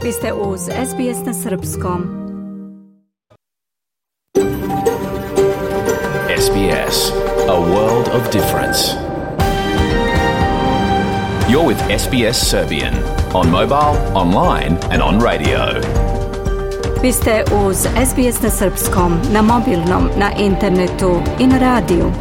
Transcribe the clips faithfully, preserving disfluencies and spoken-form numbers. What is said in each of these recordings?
Vi ste uz S B S na srpskom. S B S, a world of difference. You're with S B S Serbian on mobile, online and on radio. Vi ste uz S B S na srpskom, na mobilnom, na internetu i na radiju.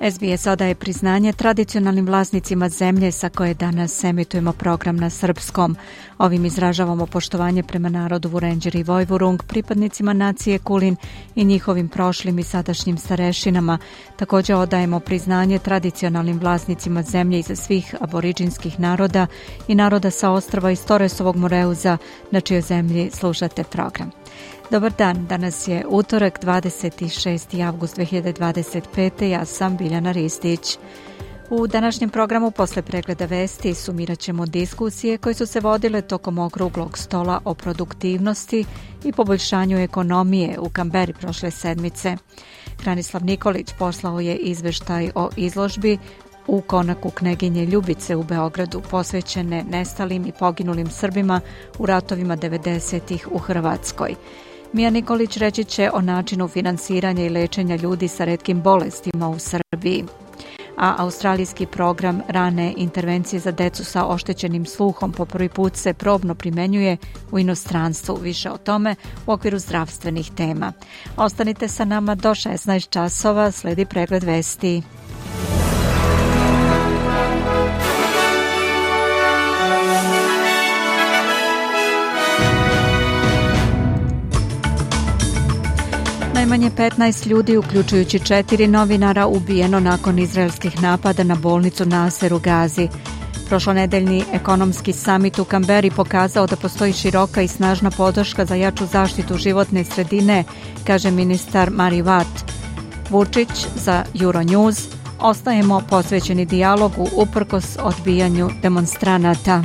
S B S odaje priznanje tradicionalnim vlasnicima zemlje sa koje danas emitujemo program na srpskom. Ovim izražavamo poštovanje prema narodu Vurenđer i Vojvurung, pripadnicima nacije Kulin i njihovim prošlim i sadašnjim starešinama. Također odajemo priznanje tradicionalnim vlasnicima zemlje iza svih aboriđinskih naroda i naroda sa ostrva iz Torresovog Moreuza, na čijoj zemlji slušate program. Dobar dan, danas je utorak, dvadeset šesti avgust dve hiljade dvadeset pete. Ja sam Biljana Ristić. U današnjem programu posle pregleda vesti sumirat ćemo diskusije koje su se vodile tokom okruglog stola o produktivnosti i poboljšanju ekonomije u Kamberi prošle sedmice. Hranislav Nikolić poslao je izveštaj o izložbi u konaku Kneginje Ljubice u Beogradu, posvećene nestalim i poginulim Srbima u ratovima devedesetih u Hrvatskoj. Mija Nikolić reći će o načinu finansiranja i lečenja ljudi sa retkim bolestima u Srbiji. A australijski program rane intervencije za decu sa oštećenim sluhom po prvi put se probno primenjuje u inostranstvu. Više o tome u okviru zdravstvenih tema. Ostanite sa nama do šesnaest časova, sledi pregled vesti. Najmanje petnaest ljudi, uključujući četiri novinara, ubijeno nakon izraelskih napada na bolnicu Naser u Gazi. Prošlonedeljni ekonomski samit u Kamberi pokazao da postoji široka i snažna podrška za jaču zaštitu životne sredine, kaže ministar Mari Watt. Vučić za Euronews: ostajemo posvećeni dijalogu uprkos odbijanju demonstranata.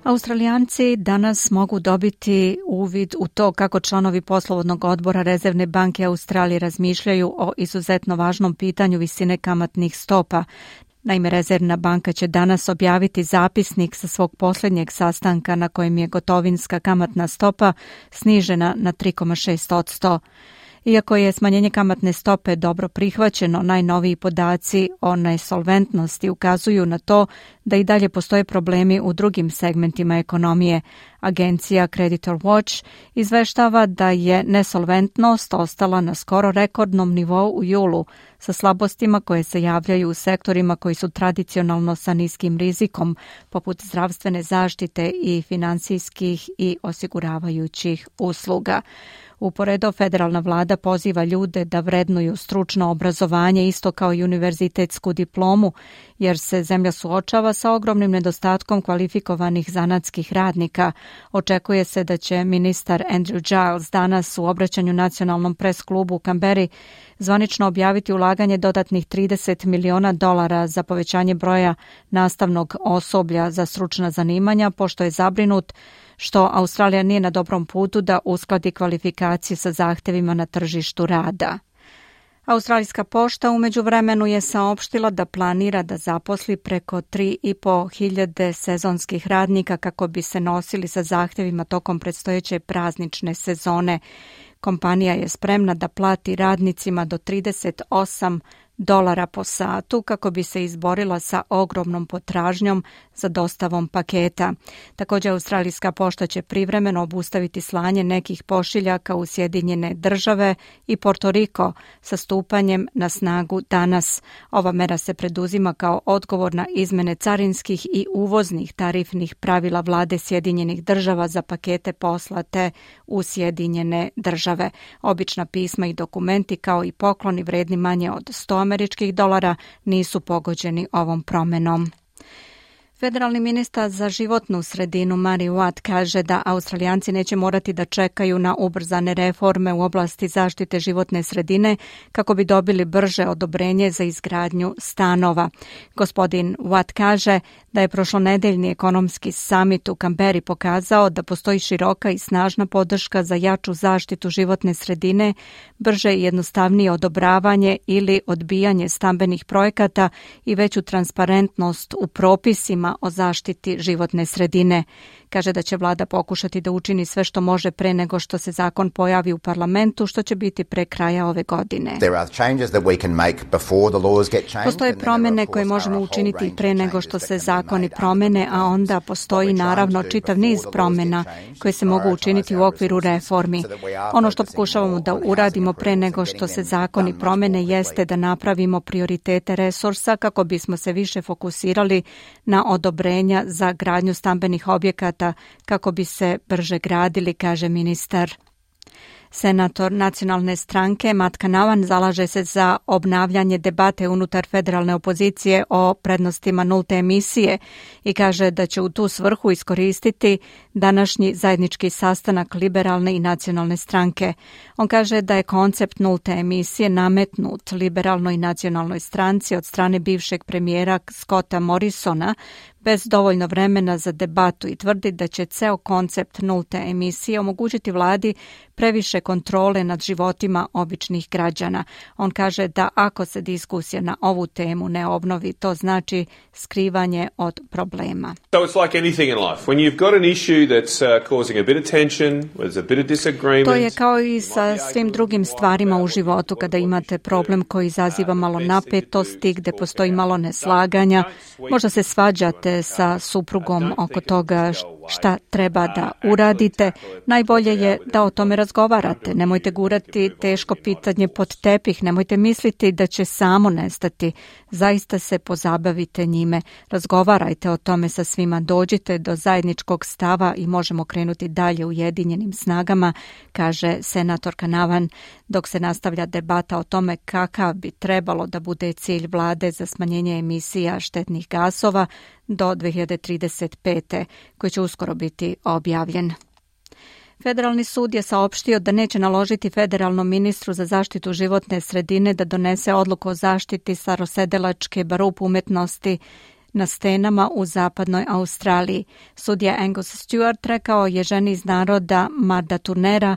Australijanci danas mogu dobiti uvid u to kako članovi poslovodnog odbora Rezervne banke Australije razmišljaju o izuzetno važnom pitanju visine kamatnih stopa. Naime, Rezervna banka će danas objaviti zapisnik sa svog posljednjeg sastanka na kojem je gotovinska kamatna stopa snižena na tri zarez šest posto. Iako je smanjenje kamatne stope dobro prihvaćeno, najnoviji podaci o nesolventnosti ukazuju na to da i dalje postoje problemi u drugim segmentima ekonomije. Agencija Creditor Watch izveštava da je nesolventnost ostala na skoro rekordnom nivou u julu, sa slabostima koje se javljaju u sektorima koji su tradicionalno sa niskim rizikom, poput zdravstvene zaštite i finansijskih i osiguravajućih usluga. Uporedo, federalna vlada poziva ljude da vrednuju stručno obrazovanje isto kao i univerzitetsku diplomu, jer se zemlja suočava sa ogromnim nedostatkom kvalifikovanih zanatskih radnika. Očekuje se da će ministar Andrew Giles danas u obraćanju nacionalnom pres klubu u Kamberi zvanično objaviti ulaganje dodatnih trideset miliona dolara za povećanje broja nastavnog osoblja za stručna zanimanja, pošto je zabrinut što Australija nije na dobrom putu da uskladi kvalifikacije sa zahtevima na tržištu rada. Australijska pošta u međuvremenu je saopštila da planira da zaposli preko tri i po hiljade sezonskih radnika kako bi se nosili sa zahtevima tokom predstojeće praznične sezone. Kompanija je spremna da plati radnicima do trideset osam dolara po satu kako bi se izborila sa ogromnom potražnjom za dostavom paketa. Također, Australijska pošta će privremeno obustaviti slanje nekih pošiljaka u Sjedinjene države i Porto Riko sa stupanjem na snagu danas. Ova mera se preduzima kao odgovor na izmene carinskih i uvoznih tarifnih pravila vlade Sjedinjenih država za pakete poslate u Sjedinjene države. Obična pisma i dokumenti kao i pokloni vredni manje od sto američkih dolara nisu pogođeni ovom promenom. Federalni ministar za životnu sredinu Mary Watt kaže da Australijanci neće morati da čekaju na ubrzane reforme u oblasti zaštite životne sredine kako bi dobili brže odobrenje za izgradnju stanova. Gospodin Watt kaže da je prošlonedeljni ekonomski samit u Kamberi pokazao da postoji široka i snažna podrška za jaču zaštitu životne sredine, brže i jednostavnije odobravanje ili odbijanje stambenih projekata i veću transparentnost u propisima o zaštiti životne sredine. Kaže da će vlada pokušati da učini sve što može pre nego što se zakon pojavi u parlamentu, što će biti pre kraja ove godine. Postoje promjene koje možemo učiniti pre nego što se zakoni promene, a onda postoji naravno čitav niz promjena koje se mogu učiniti u okviru reformi. Ono što pokušavamo da uradimo pre nego što se zakoni promene jeste da napravimo prioritete resursa kako bismo se više fokusirali na odobrenja za gradnju stambenih objekata kako bi se brže gradili, kaže ministar. Senator nacionalne stranke Matt Canavan zalaže se za obnavljanje debate unutar federalne opozicije o prednostima nulte emisije i kaže da će u tu svrhu iskoristiti današnji zajednički sastanak liberalne i nacionalne stranke. On kaže da je koncept nulte emisije nametnut liberalnoj i nacionalnoj stranci od strane bivšeg premijera Scotta Morrisona bez dovoljno vremena za debatu i tvrdi da će ceo koncept nulte emisije omogućiti vladi previše kontrole nad životima običnih građana. On kaže da ako se diskusija na ovu temu ne obnovi, to znači skrivanje od problema. So it's like anything in life. When you've got an issue that's uh, causing a bit of tension, there's a bit of disagreement. To je kao i sa svim drugim stvarima u životu. Kada imate problem koji izaziva malo napetosti, gde postoji malo neslaganja, možda se svađate sa suprugom oko toga šta treba da uradite. Najbolje je da o tome razgovarate. Nemojte gurati teško pitanje pod tepih, nemojte misliti da će samo nestati. Zaista se pozabavite njime. Razgovarajte o tome sa svima, dođite do zajedničkog stava i možemo krenuti dalje ujedinjenim snagama, kaže senator Canavan, dok se nastavlja debata o tome kakav bi trebalo da bude cilj vlade za smanjenje emisija štetnih gasova do dve hiljade trideset pete. koji će uskoro biti objavljen. Federalni sud je saopštio da neće naložiti federalnom ministru za zaštitu životne sredine da donese odluku o zaštiti starosedelačke barup umetnosti na stenama u zapadnoj Australiji. Sudija Angus Stewart rekao je ženi iz naroda Marda Turnera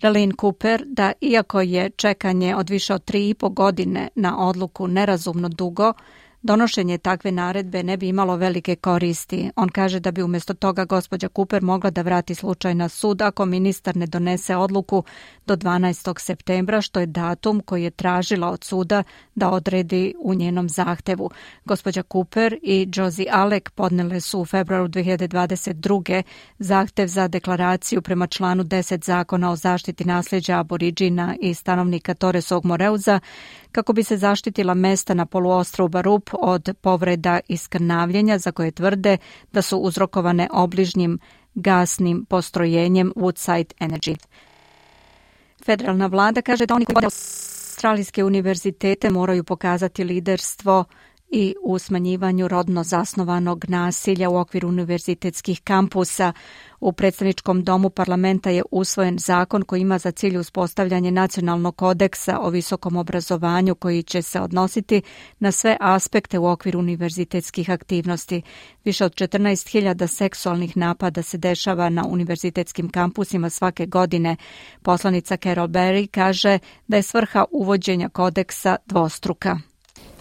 Raylene Cooper da iako je čekanje od više od tri i po godine na odluku nerazumno dugo, donošenje takve naredbe ne bi imalo velike koristi. On kaže da bi umjesto toga gospođa Cooper mogla da vrati slučaj na sud ako ministar ne donese odluku do dvanaestog septembra, što je datum koji je tražila od suda da odredi u njenom zahtevu. Gospođa Cooper i Josie Alec podnele su u februaru dve hiljade dvadeset druge zahtev za deklaraciju prema članu deset zakona o zaštiti nasljeđa aboriđina i stanovnika Torresovog Moreuza kako bi se zaštitila mesta na poluostrvu Barup od povreda i skrnavljenja za koje tvrde da su uzrokovane obližnjim gasnim postrojenjem Woodside Energy. Federalna vlada kaže da oni koji vode australijske univerzitete moraju pokazati liderstvo i u smanjivanju rodno zasnovanog nasilja u okviru univerzitetskih kampusa. U predstavničkom domu parlamenta je usvojen zakon koji ima za cilj uspostavljanje nacionalnog kodeksa o visokom obrazovanju koji će se odnositi na sve aspekte u okviru univerzitetskih aktivnosti. Više od četrnaest hiljada seksualnih napada se dešava na univerzitetskim kampusima svake godine. Poslanica Carol Berry kaže da je svrha uvođenja kodeksa dvostruka.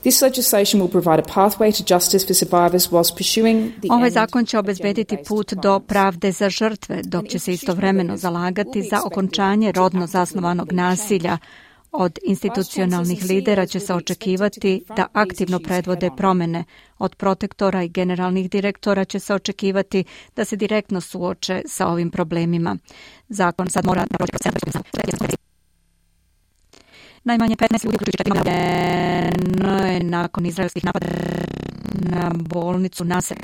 This legislation will provide a pathway to justice for survivors whilst pursuing the Ovaj zakon će obezbediti put do pravde za žrtve, dok će se istovremeno zalagati za okončanje rodno zasnovanog nasilja. Od institucionalnih lidera će se očekivati da aktivno predvode promene. Od protektora i generalnih direktora će se očekivati da se direktno suoče sa ovim problemima. Zakon sad mora da prođe proces. Najmanje petnaest ljudi uključujući je nakon izraelskih napada na bolnicu Nasser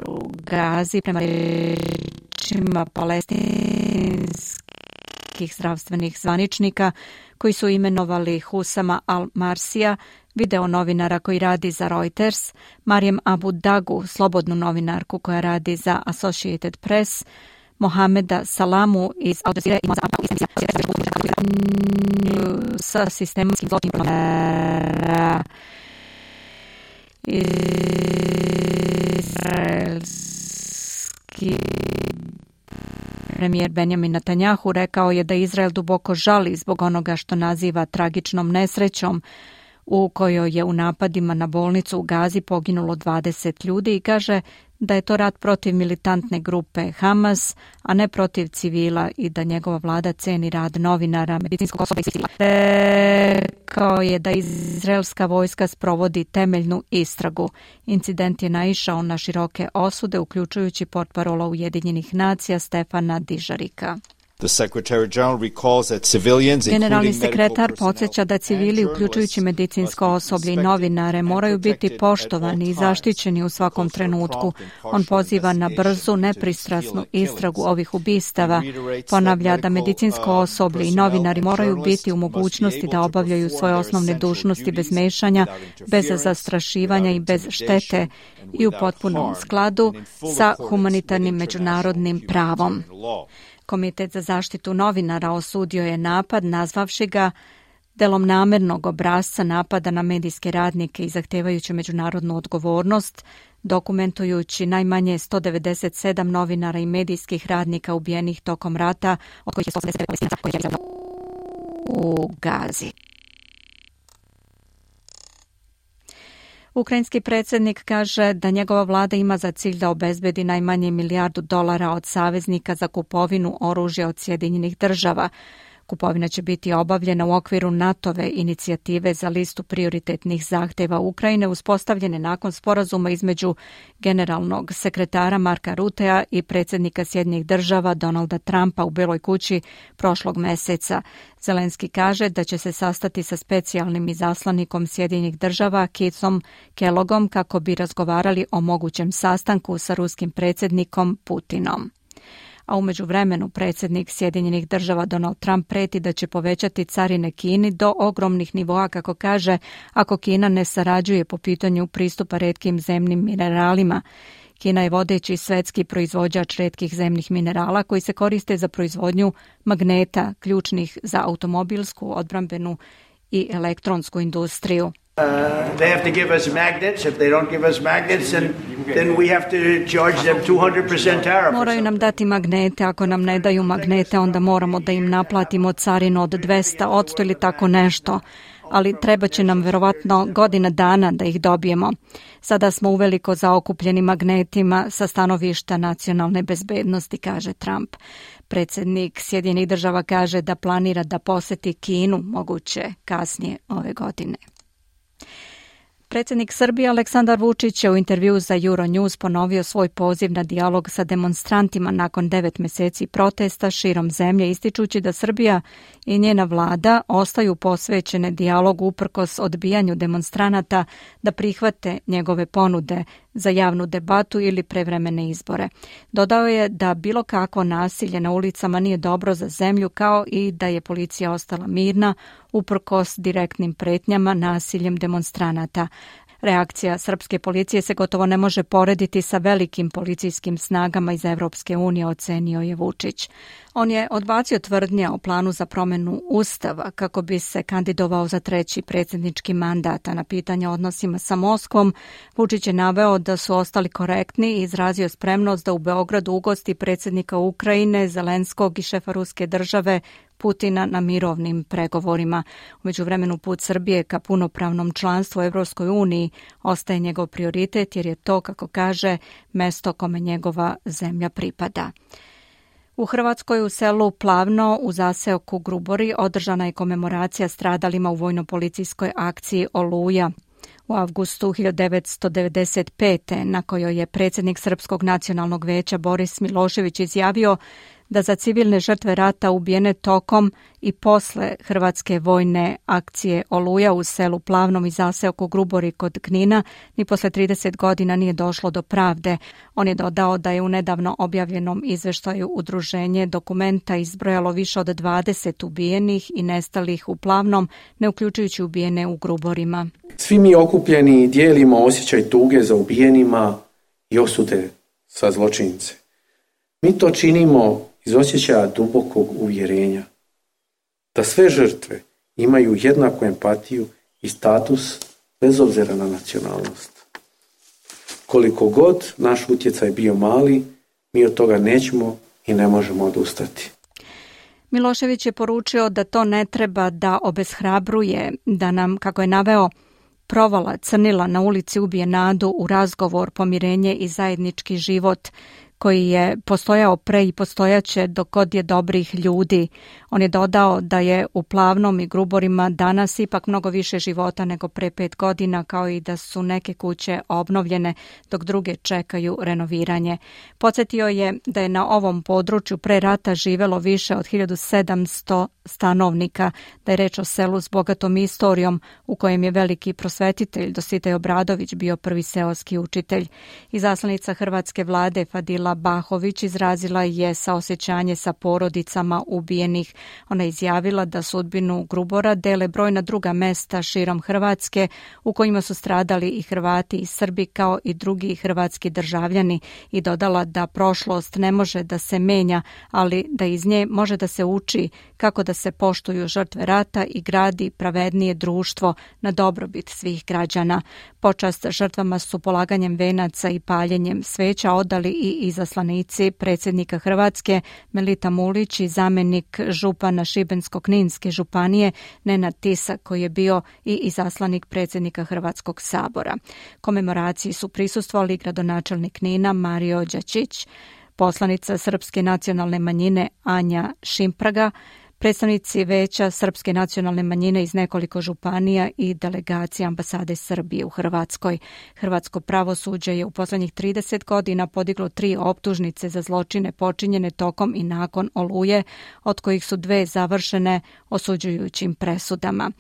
u Gazi prema rečima palestinskih zdravstvenih zvaničnika koji su imenovali Husama al-Marsija video novinara koji radi za Reuters, Marijem Abu Dagu, slobodnu novinarku koja radi za Associated Press, Mohameda Salamu iz Al Jazeera i sa sistematskim zločinom izraelski premijer Benjamin Netanjahu rekao je da Izrael duboko žali zbog onoga što naziva tragičnom nesrećom u kojoj je u napadima na bolnicu u Gazi poginulo dvadeset ljudi i kaže da je to rat protiv militantne grupe Hamas, a ne protiv civila i da njegova vlada ceni rad novinara, medicinskog osoba i civila. Rekao je da izraelska vojska sprovodi temeljnu istragu. Incident je naišao na široke osude, uključujući portparola Ujedinjenih nacija Stefana Dižarika. Generalni sekretar podsjeća da civili, uključujući medicinsko osoblje i novinare, moraju biti poštovani i zaštićeni u svakom trenutku. On poziva na brzu, nepristrasnu istragu ovih ubistava. Ponavlja da medicinsko osoblje i novinari moraju biti u mogućnosti da obavljaju svoje osnovne dužnosti bez mešanja, bez zastrašivanja i bez štete i u potpunom skladu sa humanitarnim međunarodnim pravom. Komitet za zaštitu novinara osudio je napad, nazvavši ga delom namernog obrasca napada na medijske radnike i zahtevajući međunarodnu odgovornost, dokumentujući najmanje sto devedeset sedam novinara i medijskih radnika ubijenih tokom rata, od kojih je sto osamdeset devet Palestinaca koji je u Gazi. Ukrajinski predsjednik kaže da njegova vlada ima za cilj da obezbedi najmanje milijardu dolara od saveznika za kupovinu oružja od Sjedinjenih država. Kupovina će biti obavljena u okviru NATO-ve inicijative za listu prioritetnih zahtjeva Ukrajine uspostavljene nakon sporazuma između generalnog sekretara Marka Rutea i predsjednika Sjedinjenih država Donalda Trumpa u Beloj kući prošlog mjeseca. Zelenski kaže da će se sastati sa specijalnim izaslanikom Sjedinjenih država Keithom Kellogom kako bi razgovarali o mogućem sastanku sa ruskim predsjednikom Putinom. A u međuvremenu predsjednik Sjedinjenih država Donald Trump preti da će povećati carine Kini do ogromnih nivoa, kako kaže, ako Kina ne sarađuje po pitanju pristupa retkim zemnim mineralima. Kina je vodeći svetski proizvođač retkih zemnih minerala koji se koriste za proizvodnju magneta, ključnih za automobilsku, odbrambenu i elektronsku industriju. Uh, they have to give us magnets. If they don't give us magnets, then, then we have to charge them two hundred percent tariff. Moraju nam dati magnete. Ako nam ne daju magnete, onda moramo da im naplatimo carinu od dvesta odsto ili tako nešto. Ali treba će nam verovatno godina dana da ih dobijemo. Sada smo uveliko zaokupljeni magnetima sa stanovišta nacionalne bezbednosti, kaže Trump. Predsjednik Sjedinjenih država kaže da planira da poseti Kinu, moguće kasnije ove godine. Predsjednik Srbije Aleksandar Vučić je u intervjuu za Euronews ponovio svoj poziv na dijalog sa demonstrantima nakon devet mjeseci protesta širom zemlje, ističući da Srbija i njena vlada ostaju posvećene dijalogu uprkos odbijanju demonstranata da prihvate njegove ponude za javnu debatu ili prevremene izbore. Dodao je da bilo kakvo nasilje na ulicama nije dobro za zemlju, kao i da je policija ostala mirna uprkos direktnim pretnjama nasiljem demonstranata. Reakcija srpske policije se gotovo ne može porediti sa velikim policijskim snagama iz Evropske unije, ocenio je Vučić. On je odbacio tvrdnje o planu za promjenu Ustava kako bi se kandidovao za treći predsjednički mandat, a na pitanje o odnosima sa Moskvom Vučić je naveo da su ostali korektni i izrazio spremnost da u Beogradu ugosti predsjednika Ukrajine, Zelenskog i šefa ruske države Putina na mirovnim pregovorima. U međuvremenu put Srbije ka punopravnom članstvu u Evropskoj uniji ostaje njegov prioritet jer je to, kako kaže, mesto kome njegova zemlja pripada. U Hrvatskoj u selu Plavno u zaseoku Grubori održana je komemoracija stradalima u vojno-policijskoj akciji Oluja u avgustu hiljadu devetsto devedeset pete. na kojoj je predsjednik Srpskog nacionalnog veća Boris Milošević izjavio da za civilne žrtve rata ubijene tokom i posle hrvatske vojne akcije Oluja u selu Plavnom i zaseoku Grubori kod Knina ni posle trideset godina nije došlo do pravde. On je dodao da je u nedavno objavljenom izveštaju udruženje Dokumenta izbrojalo više od dvadeset ubijenih i nestalih u Plavnom, ne uključujući ubijene u Gruborima. Svi mi okupljeni dijelimo osjećaj tuge za ubijenima i osude sa zločince. Mi to činimo iz osjećaja dubokog uvjerenja da sve žrtve imaju jednaku empatiju i status bez obzira na nacionalnost. Koliko god naš utjecaj bio mali, mi od toga nećemo i ne možemo odustati. Milošević je poručio da to ne treba da obeshrabruje, da nam, kako je naveo, provala crnila na ulici ubije nadu u razgovor, pomirenje i zajednički život koji je postojao pre i postojaće dok god je dobrih ljudi. On je dodao da je u Plavnom i Gruborima danas ipak mnogo više života nego pre pet godina, kao i da su neke kuće obnovljene dok druge čekaju renoviranje. Podsjetio je da je na ovom području pre rata živelo više od hiljadu sedamsto stanovnika, da je reč o selu s bogatom istorijom u kojem je veliki prosvetitelj Dositej Obradović bio prvi seoski učitelj. Izaslanica hrvatske vlade Fadila Bahović izrazila je saosjećanje sa porodicama ubijenih. Ona je izjavila da sudbinu Grubora dele brojna druga mesta širom Hrvatske u kojima su stradali i Hrvati i Srbi kao i drugi hrvatski državljani i dodala da prošlost ne može da se menja, ali da iz nje može da se uči kako da se poštuju žrtve rata i gradi pravednije društvo na dobrobit svih građana. Počast žrtvama su polaganjem venaca i paljenjem sveća odali i izaslanici predsjednika Hrvatske Melita Mulić i zamjenik župana Šibensko-kninske županije Nenad Tisak, koji je bio i izaslanik predsjednika Hrvatskog sabora. Komemoraciji su prisustvovali gradonačelnik Knina Mario Đačić, poslanica Srpske nacionalne manjine Anja Šimpraga, predstavnici Veća Srpske nacionalne manjine iz nekoliko županija i delegacija ambasade Srbije u Hrvatskoj. Hrvatsko pravosuđe je u posljednjih trideset godina podiglo tri optužnice za zločine počinjene tokom i nakon Oluje, od kojih su dve završene osuđujućim presudama.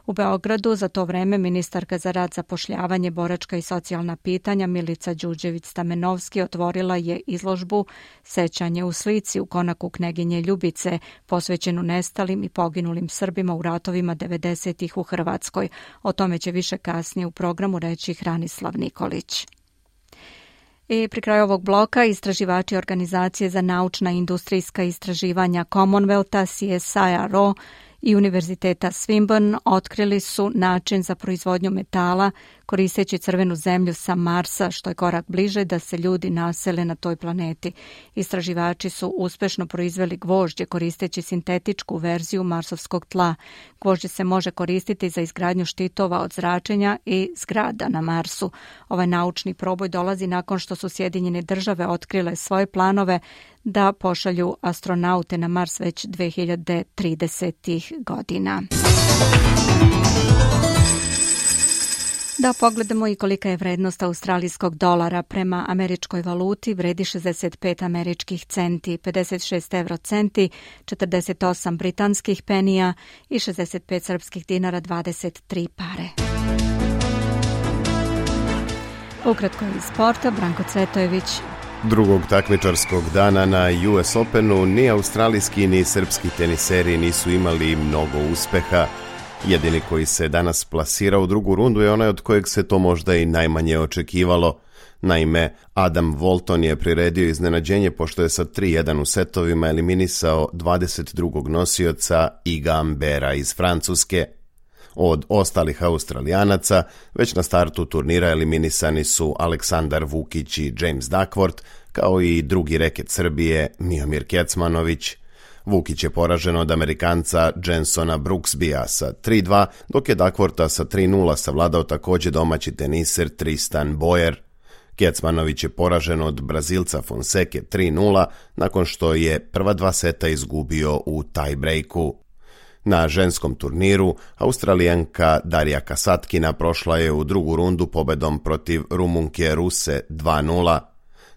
U Beogradu za to vreme ministarka za rad, zapošljavanje, boračka i socijalna pitanja Milica Đurđević-Stamenovski otvorila je izložbu Sećanje u slici u konaku Kneginje Ljubice, posvećenu nestalim i poginulim Srbima u ratovima devedesetih u Hrvatskoj. O tome će više kasnije u programu reći Hranislav Nikolić. I pri kraju ovog bloka istraživači Organizacije za naučna i industrijska istraživanja Commonwealtha, C S I R O i Univerziteta Swinburne otkrili su način za proizvodnju metala koristeći crvenu zemlju sa Marsa, što je korak bliže da se ljudi nasele na toj planeti. Istraživači su uspešno proizveli gvožđe koristeći sintetičku verziju marsovskog tla. Gvožđe se može koristiti za izgradnju štitova od zračenja i zgrada na Marsu. Ovaj naučni proboj dolazi nakon što su Sjedinjene države otkrile svoje planove da pošalju astronaute na Mars već dve hiljade tridesetih godina. Da pogledamo i kolika je vrednost australijskog dolara. Prema američkoj valuti vredi šezdeset pet američkih centi, pedeset šest evro centi, četrdeset osam britanskih penija i šezdeset pet srpskih dinara, dvadeset tri pare. Ukratko iz sporta, Branko Cvetojević. Drugog takmičarskog dana na U S Openu ni australijski ni srpski teniseri nisu imali mnogo uspeha. Jedini koji se danas plasira u drugu rundu je onaj od kojeg se to možda i najmanje očekivalo. Naime, Adam Walton je priredio iznenađenje pošto je sa tri jedan u setovima eliminisao dvadeset drugog nosioca Iga Ambera iz Francuske. Od ostalih Australijanaca već na startu turnira eliminisani su Aleksandar Vukić i James Duckworth, kao i drugi reket Srbije Miomir Kecmanović. Vukić je poražen od Amerikanca Jensona Brooksbya sa tri dva, dok je Duckwortha sa tri nula savladao također domaći teniser Tristan Boyer. Kecmanović je poražen od Brazilca Fonseke tri nula, nakon što je prva dva seta izgubio u tie-breaku. Na ženskom turniru Australijanka Darija Kasatkina prošla je u drugu rundu pobedom protiv Rumunke Ruse dva nula.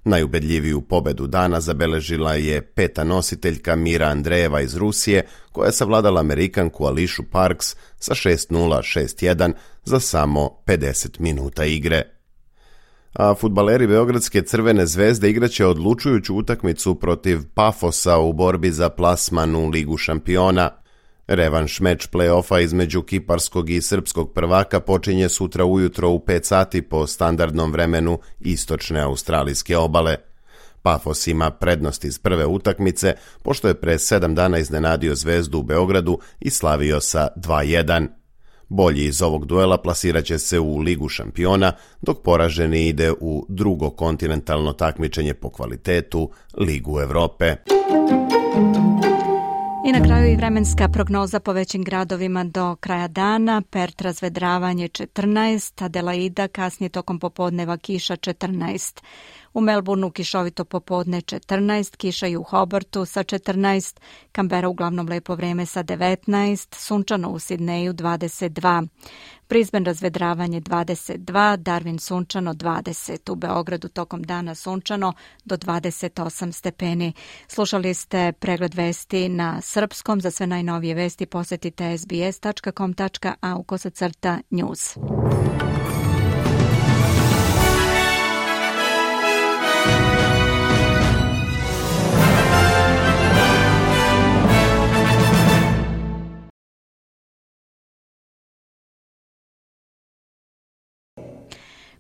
Najubedljiviju pobedu dana zabeležila je peta nositeljka Mira Andreeva iz Rusije, koja je savladala Amerikanku Ališu Parks sa šest nula šest jedan za samo pedeset minuta igre. A fudbaleri Beogradske Crvene zvezde igraće odlučujuću utakmicu protiv Pafosa u borbi za plasman u Ligu šampiona. Revanš meč play-offa između kiparskog i srpskog prvaka počinje sutra ujutro u pet sati po standardnom vremenu istočne australijske obale. Pafos ima prednost iz prve utakmice, pošto je pre sedam dana iznenadio Zvezdu u Beogradu i slavio sa dva jedan. Bolji iz ovog duela plasiraće se u Ligu šampiona, dok poraženi ide u drugo kontinentalno takmičenje po kvalitetu, Ligu Evrope. I na kraju i vremenska prognoza po većim gradovima do kraja dana. Perth razvedravanje četrnaest, Adelaida kasnije tokom popodneva kiša četrnaest. U Melbourneu kišovito popodne četrnaest, kiša i u Hobartu sa četrnaest, Canberra uglavnom lepo vreme sa devetnaest, sunčano u Sidneju dvadeset dva. Brisbane razvedravanje dvadeset dva, Darwin sunčano dvadeset, u Beogradu tokom dana sunčano do dvadeset osam stepeni. Slušali ste pregled vesti na srpskom. Za sve najnovije vesti posetite s b s tačka com tačka a u kosacrta news.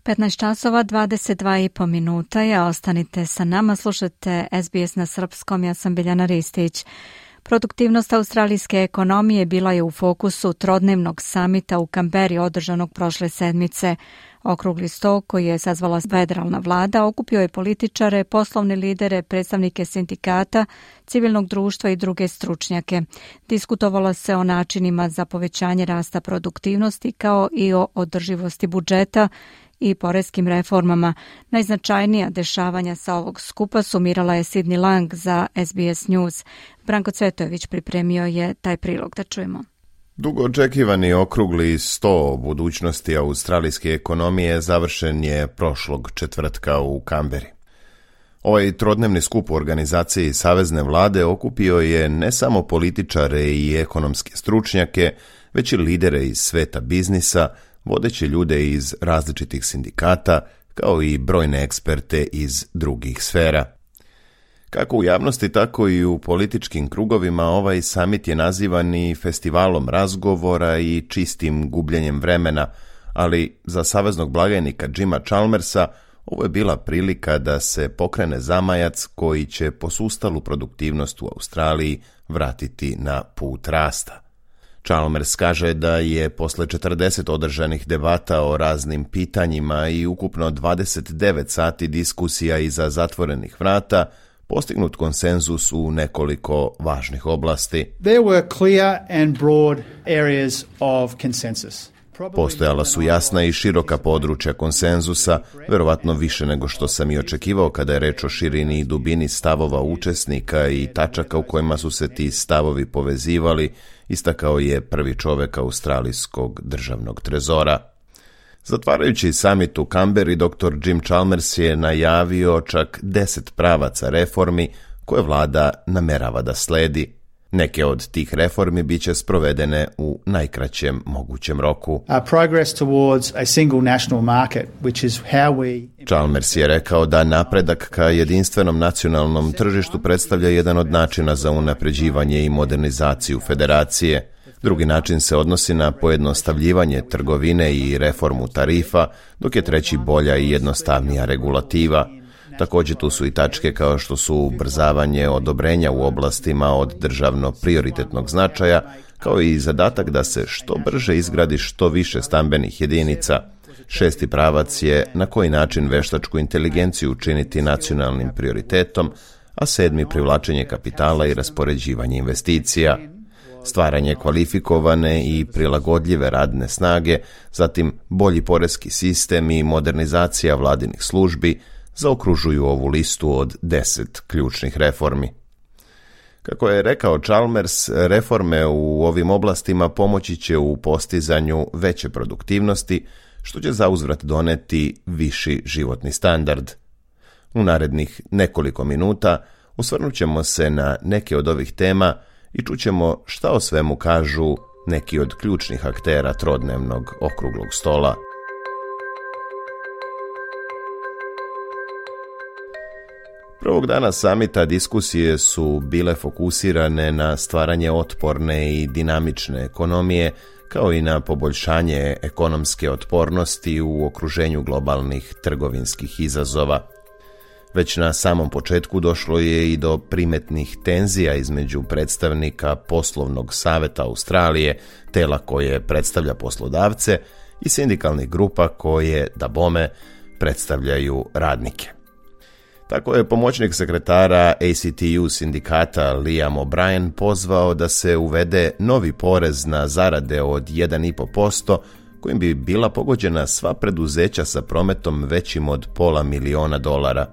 petnaest časova dvadeset dva i po minuta je, ostanite sa nama, slušate S B S na srpskom, ja sam Biljana Ristić. Produktivnost australijske ekonomije bila je u fokusu trodnevnog samita u Kamberi održanog prošle sedmice. Okrugli sto koji je sazvala federalna vlada okupio je političare, poslovne lidere, predstavnike sindikata, civilnog društva i druge stručnjake. Diskutovalo se o načinima za povećanje rasta produktivnosti kao i o održivosti budžeta i poreskim reformama. Najznačajnija dešavanja sa ovog skupa sumirala je Sidney Lang za S B S News. Branko Cvetojević pripremio je taj prilog, da čujemo. Dugo očekivani okrugli sto o budućnosti australijske ekonomije završen je prošlog četvrtka u Kamberi. Ovaj trodnevni skup u organizaciji Savezne vlade okupio je ne samo političare i ekonomske stručnjake, već i lidere iz sveta biznisa, vodeće ljude iz različitih sindikata, kao i brojne eksperte iz drugih sfera. Kako u javnosti, tako i u političkim krugovima ovaj samit je nazivan i festivalom razgovora i čistim gubljenjem vremena, ali za saveznog blagajnika Jima Chalmersa ovo je bila prilika da se pokrene zamajac koji će posustalu produktivnost u Australiji vratiti na put rasta. Chalmers kaže da je posle četrdeset održanih debata o raznim pitanjima i ukupno dvadeset devet sati diskusija iza zatvorenih vrata postignut konsenzus u nekoliko važnih oblasti. There were clear and broad areas of consensus. Postojala su jasna i široka područja konsenzusa, verovatno više nego što sam i očekivao kada je reč o širini i dubini stavova učesnika i tačaka u kojima su se ti stavovi povezivali, istakao je prvi čovek australijskog državnog trezora. Zatvarajući samit u Kamberi, doktor Jim Chalmers je najavio čak deset pravaca reformi koje vlada namerava da sledi. Neke od tih reformi biće sprovedene u najkraćem mogućem roku. Chalmers je rekao da napredak ka jedinstvenom nacionalnom tržištu predstavlja jedan od načina za unapređivanje i modernizaciju federacije. Drugi način se odnosi na pojednostavljivanje trgovine i reformu tarifa, dok je treći bolja i jednostavnija regulativa. Također tu su i tačke kao što su ubrzavanje odobrenja u oblastima od državno prioritetnog značaja, kao i zadatak da se što brže izgradi što više stambenih jedinica. Šesti pravac je na koji način veštačku inteligenciju učiniti nacionalnim prioritetom, a sedmi privlačenje kapitala i raspoređivanje investicija. Stvaranje kvalifikovane i prilagodljive radne snage, zatim bolji poreski sistem i modernizacija vladinih službi zaokružuju ovu listu od deset ključnih reformi. Kako je rekao Chalmers, reforme u ovim oblastima pomoći će u postizanju veće produktivnosti, što će zauzvrat doneti viši životni standard. U narednih nekoliko minuta osvrnut ćemo se na neke od ovih tema i čućemo šta o svemu kažu neki od ključnih aktera trodnevnog okruglog stola. Prvog dana samita diskusije su bile fokusirane na stvaranje otporne i dinamične ekonomije, kao i na poboljšanje ekonomske otpornosti u okruženju globalnih trgovinskih izazova. Već na samom početku došlo je i do primetnih tenzija između predstavnika Poslovnog saveta Australije, tela koje predstavlja poslodavce, i sindikalnih grupa koje, da bome, predstavljaju radnike. Tako je pomoćnik sekretara A C T U sindikata Liam O'Brien pozvao da se uvede novi porez na zarade od jedan i po posto, kojim bi bila pogođena sva preduzeća sa prometom većim od pola miliona dolara.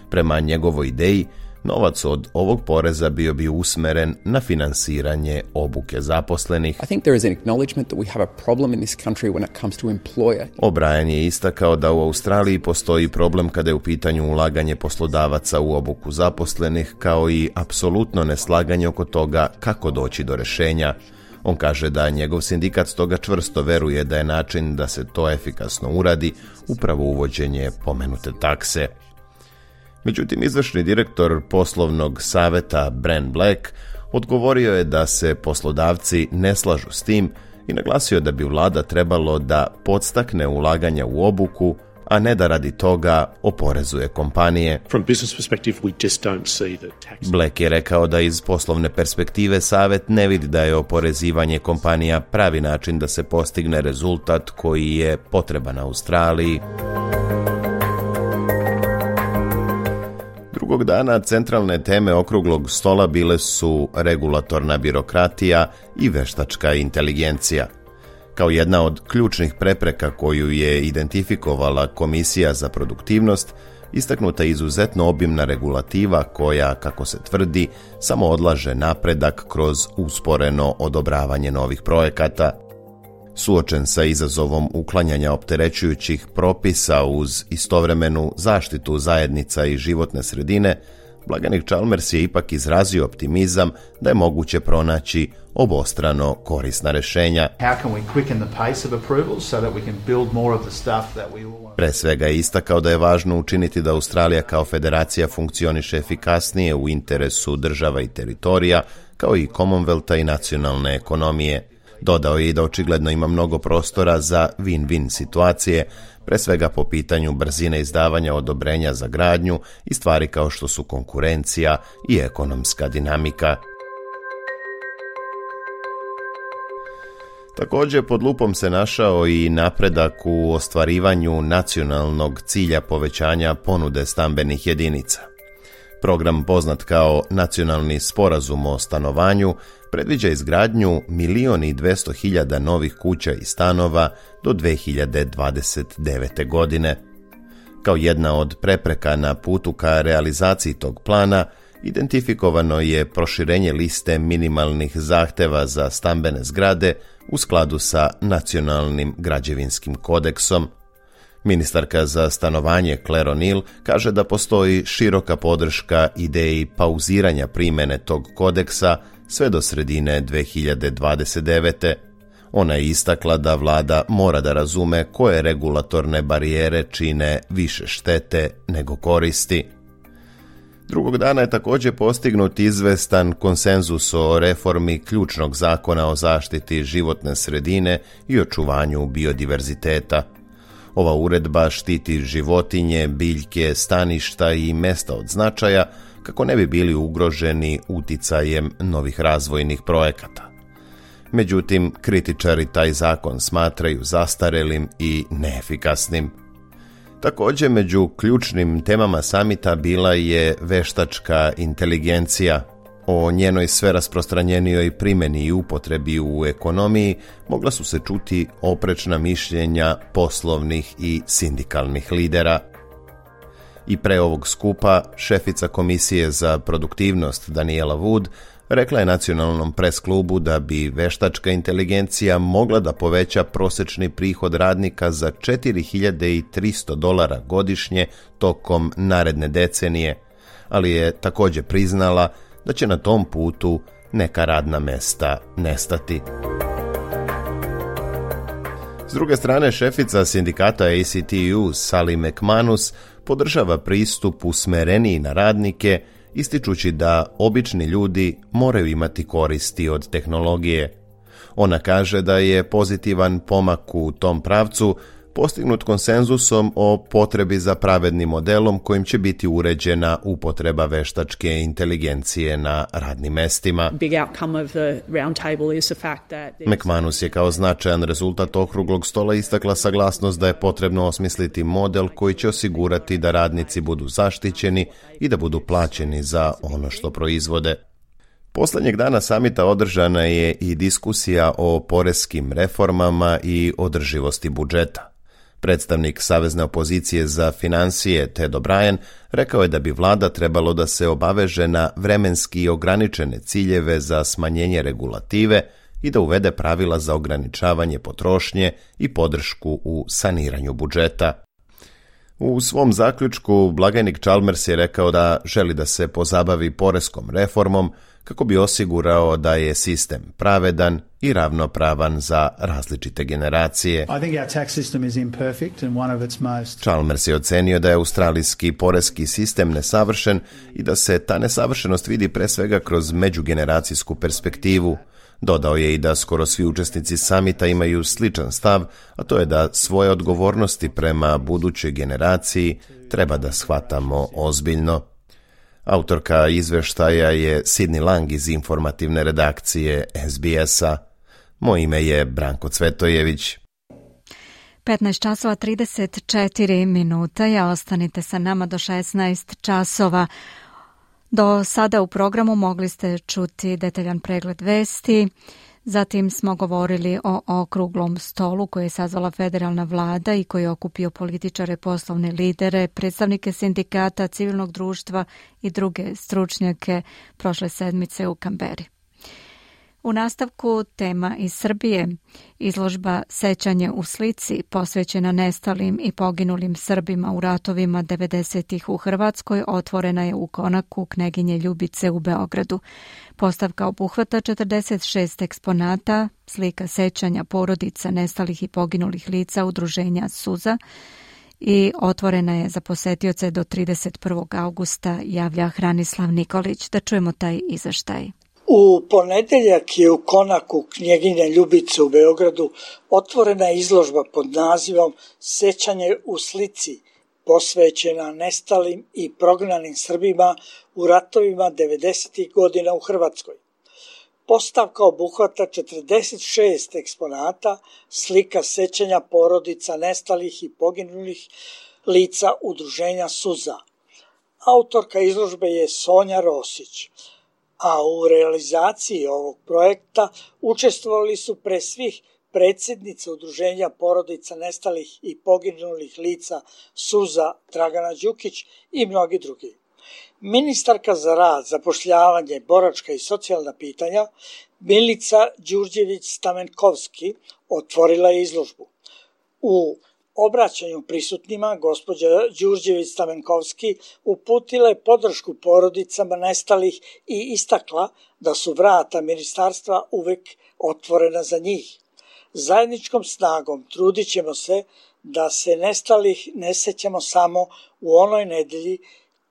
Prema njegovoj ideji, novac od ovog poreza bio bi usmeren na finansiranje obuke zaposlenih. I think there is an acknowledgement that we have a problem in this country when it comes to employer. O'Brien je istakao da u Australiji postoji problem kada je u pitanju ulaganje poslodavaca u obuku zaposlenih, kao i apsolutno neslaganje oko toga kako doći do rješenja. On kaže da njegov sindikat stoga čvrsto veruje da je način da se to efikasno uradi upravo uvođenje pomenute takse. Međutim, izvršni direktor Poslovnog saveta Brent Black odgovorio je da se poslodavci ne slažu s tim i naglasio da bi vlada trebalo da podstakne ulaganja u obuku, a ne da radi toga oporezuje kompanije. From business perspective, we just don't see the tax. Black je rekao da iz poslovne perspektive savet ne vidi da je oporezivanje kompanija pravi način da se postigne rezultat koji je potreban Australiji. Drugog dana centralne teme okruglog stola bile su regulatorna birokratija i veštačka inteligencija. Kao jedna od ključnih prepreka koju je identifikovala Komisija za produktivnost, istaknuta je izuzetno obimna regulativa koja, kako se tvrdi, samo odlaže napredak kroz usporeno odobravanje novih projekata. Suočen sa izazovom uklanjanja opterećujućih propisa uz istovremenu zaštitu zajednica i životne sredine, blaganik Chalmers je ipak izrazio optimizam da je moguće pronaći obostrano korisna rješenja. Pre svega je istakao da je važno učiniti da Australija kao federacija funkcioniše efikasnije u interesu država i teritorija, kao i Commonwealtha i nacionalne ekonomije. Dodao je i da očigledno ima mnogo prostora za win-win situacije, pre svega po pitanju brzine izdavanja odobrenja za gradnju i stvari kao što su konkurencija i ekonomska dinamika. Također pod lupom se našao i napredak u ostvarivanju nacionalnog cilja povećanja ponude stambenih jedinica. Program poznat kao Nacionalni sporazum o stanovanju predviđa izgradnju milion i dvjesto hiljada novih kuća i stanova do dve hiljade dvadeset devete. godine. Kao jedna od prepreka na putu ka realizaciji tog plana, identifikovano je proširenje liste minimalnih zahteva za stambene zgrade u skladu sa Nacionalnim građevinskim kodeksom. Ministarka za stanovanje Claire O'Neill kaže da postoji široka podrška ideji pauziranja primjene tog kodeksa sve do sredine dve hiljade dvadeset devete. Ona je istakla da vlada mora da razume koje regulatorne barijere čine više štete nego koristi. Drugog dana je također postignut izvestan konsenzus o reformi ključnog zakona o zaštiti životne sredine i očuvanju biodiverziteta. Ova uredba štiti životinje, biljke, staništa i mesta od značaja kako ne bi bili ugroženi uticajem novih razvojnih projekata. Međutim, kritičari taj zakon smatraju zastarelim i neefikasnim. Također, među ključnim temama samita bila je veštačka inteligencija. O njenoj sve rasprostranjenijoj primjeni i upotrebi u ekonomiji mogla su se čuti oprečna mišljenja poslovnih i sindikalnih lidera. I pre ovog skupa šefica Komisije za produktivnost Daniela Wood Rekla je Nacionalnom pres klubu da bi veštačka inteligencija mogla da poveća prosečni prihod radnika za četiri hiljade tristo dolara godišnje tokom naredne decenije, ali je također priznala da će na tom putu neka radna mesta nestati. S druge strane, šefica sindikata A C T U Sally McManus podržava pristup usmereniji na radnike, ističući da obični ljudi moraju imati koristi od tehnologije. Ona kaže da je pozitivan pomak u tom pravcu postignut konsenzusom o potrebi za pravednim modelom kojim će biti uređena upotreba veštačke inteligencije na radnim mestima. McManus je kao značajan rezultat okruglog stola istakla saglasnost da je potrebno osmisliti model koji će osigurati da radnici budu zaštićeni i da budu plaćeni za ono što proizvode. Poslednjeg dana samita održana je i diskusija o poreskim reformama i održivosti budžeta. Predstavnik Savezne opozicije za finansije Ted O'Brien rekao je da bi vlada trebalo da se obaveže na vremenski ograničene ciljeve za smanjenje regulative i da uvede pravila za ograničavanje potrošnje i podršku u saniranju budžeta. U svom zaključku blagajnik Chalmers je rekao da želi da se pozabavi poreskom reformom kako bi osigurao da je sistem pravedan i ravnopravan za različite generacije. Chalmers je ocenio da je australijski poreski sistem nesavršen i da se ta nesavršenost vidi pre svega kroz međugeneracijsku perspektivu. Dodao je i da skoro svi učesnici samita imaju sličan stav, a to je da svoje odgovornosti prema budućoj generaciji treba da shvatamo ozbiljno. Autorka izveštaja je Sidney Lang iz informativne redakcije S B S-a. Moje ime je Branko Cvetojević. petnaest časova trideset četiri minuta, ja ostanite sa nama do šesnaest časova. Do sada u programu mogli ste čuti detaljan pregled vesti, zatim smo govorili o okruglom stolu koji je sazvala federalna vlada i koji je okupio političare, poslovne lidere, predstavnike sindikata, civilnog društva i druge stručnjake prošle sedmice u Kamberi. U nastavku tema iz Srbije, izložba Sećanje u slici posvećena nestalim i poginulim Srbima u ratovima devedesetih u Hrvatskoj otvorena je u konaku Kneginje Ljubice u Beogradu. Postavka obuhvata četrdeset šest eksponata, slika sećanja porodica nestalih i poginulih lica udruženja Suza i otvorena je za posetioce do trideset prvog avgusta, javlja Hranislav Nikolić. Da čujemo taj izveštaj. U ponedeljak je u konaku Knjeginje Ljubice u Beogradu otvorena izložba pod nazivom Sećanje u slici, posvećena nestalim i prognanim Srbima u ratovima devedesetih godina u Hrvatskoj. Postavka obuhvata četrdeset šest eksponata, slika sećanja porodica nestalih i poginulih lica udruženja Suza. Autorka izložbe je Sonja Rosić, a u realizaciji ovog projekta učestvovali su pre svih predsjednica udruženja porodica nestalih i poginulih lica Suza Dragana Đukić i mnogi drugi. Ministarka za rad, zapošljavanje, boračka i socijalna pitanja Milica Đurđević-Stamenkovski otvorila je izložbu. U obraćanju prisutnima gospođa Đurđević-Stamenkovski uputila je podršku porodicama nestalih i istakla da su vrata ministarstva uvek otvorena za njih. Zajedničkom snagom trudit ćemo se da se nestalih ne sećamo samo u onoj nedelji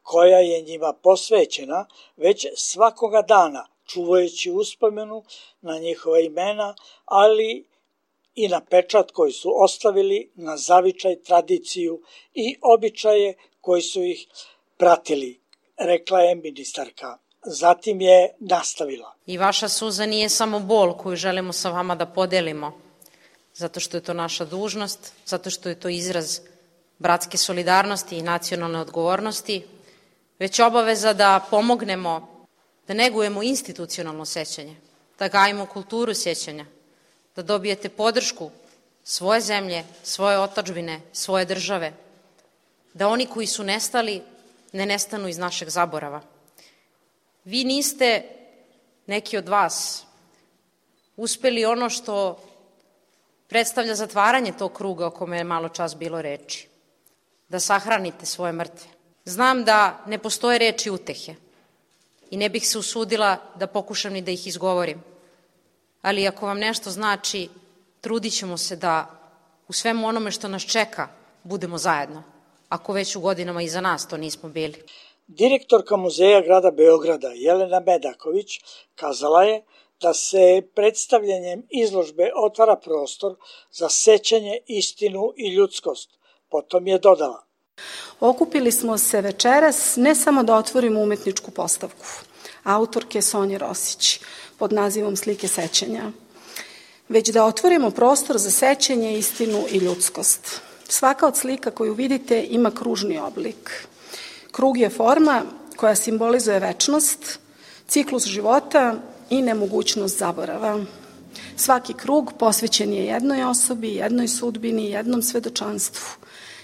koja je njima posvećena, već svakoga dana, čuvajući uspomenu na njihova imena, ali i na pečat koji su ostavili, na zavičaj, tradiciju i običaje koji su ih pratili, rekla je ministarka. Zatim je nastavila. I vaša suza nije samo bol koju želimo sa vama da podelimo, zato što je to naša dužnost, zato što je to izraz bratske solidarnosti i nacionalne odgovornosti, već obaveza da pomognemo, da negujemo institucionalno sećanje, da gajimo kulturu sjećanja, da dobijete podršku svoje zemlje, svoje otadžbine, svoje države, da oni koji su nestali ne nestanu iz našeg zaborava. Vi niste neki od vas uspeli ono što predstavlja zatvaranje tog kruga o kome je malo čas bilo reči, da sahranite svoje mrtve. Znam da ne postoje reči utehe i ne bih se usudila da pokušam ni da ih izgovorim, ali ako vam nešto znači, trudit ćemo se da u svemu onome što nas čeka budemo zajedno, ako već u godinama iza nas to nismo bili. Direktorka Muzeja grada Beograda Jelena Medaković kazala je da se predstavljanjem izložbe otvara prostor za sećanje, istinu i ljudskost. Potom je dodala: Okupili smo se večeras ne samo da otvorimo umetničku postavku autorke Sonje Rosić pod nazivom Slike sećanja, već da otvorimo prostor za sećanje, istinu i ljudskost. Svaka od slika koju vidite ima kružni oblik. Krug je forma koja simbolizuje večnost, ciklus života i nemogućnost zaborava. Svaki krug posvećen je jednoj osobi, jednoj sudbini, jednom svedočanstvu.